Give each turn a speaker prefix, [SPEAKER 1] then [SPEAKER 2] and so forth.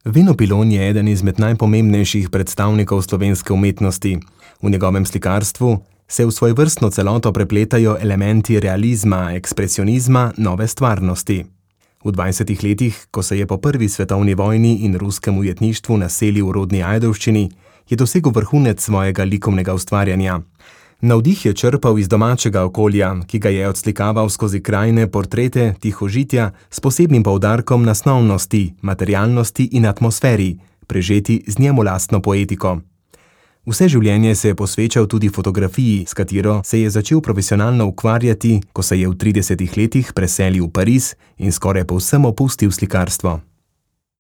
[SPEAKER 1] Veno Pilon je eden izmed najpomembnejših predstavnikov slovenske umetnosti. V njegovem slikarstvu se v svojevrstno celoto prepletajo elementi realizma, ekspresionizma, nove stvarnosti. V 20 letih, ko se je po prvi svetovni vojni in ruskem ujetništvu naselil v rodni Ajdovščini, je dosegel vrhunec svojega likovnega ustvarjanja. Navdih je črpal iz domačega okolja, ki ga je odslikaval skozi krajine, portrete, tihožitja s posebnim poudarkom na snovnosti, materialnosti in atmosferi, prežeti z njemu lastno poetiko. Vse življenje se je posvečal tudi fotografiji, s katero se je začel profesionalno ukvarjati, ko se je v 30 letih preselil v Pariz in skoraj povsem opustil slikarstvo.